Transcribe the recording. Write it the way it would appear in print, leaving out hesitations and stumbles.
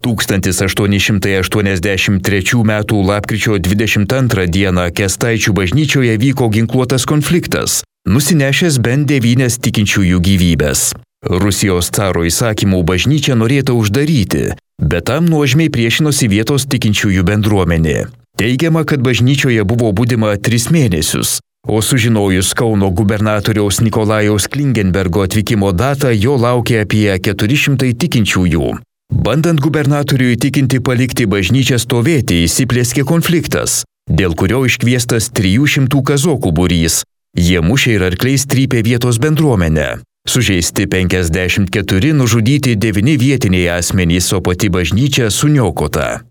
1883 m. lapkričio 22 d. Kęstaičių bažnyčioje vyko ginkluotas konfliktas, nusinešęs bent 9 tikinčiųjų gyvybes. Rusijos caro įsakymų bažnyčią norėta uždaryti, bet tam nuožmiai priešinosi vietos tikinčiųjų bendruomenė. Teigiama, kad bažnyčioje buvo budima 3 mėnesius, o sužinojus Kauno gubernatoriaus Nikolajaus Klingenbergo atvykimo datą, jo laukė apie 400 tikinčiųjų. Bandant gubernatoriui įtikinti palikti bažnyčią stovėti, įsiplieskė konfliktas, dėl kurio iškviestas 300 kazokų būrys. Jie mušė ir arkliais trypė vietos bendruomenę. Sužeisti 54, nužudyti 9 vietiniai asmenys, o pati bažnyčia suniokota.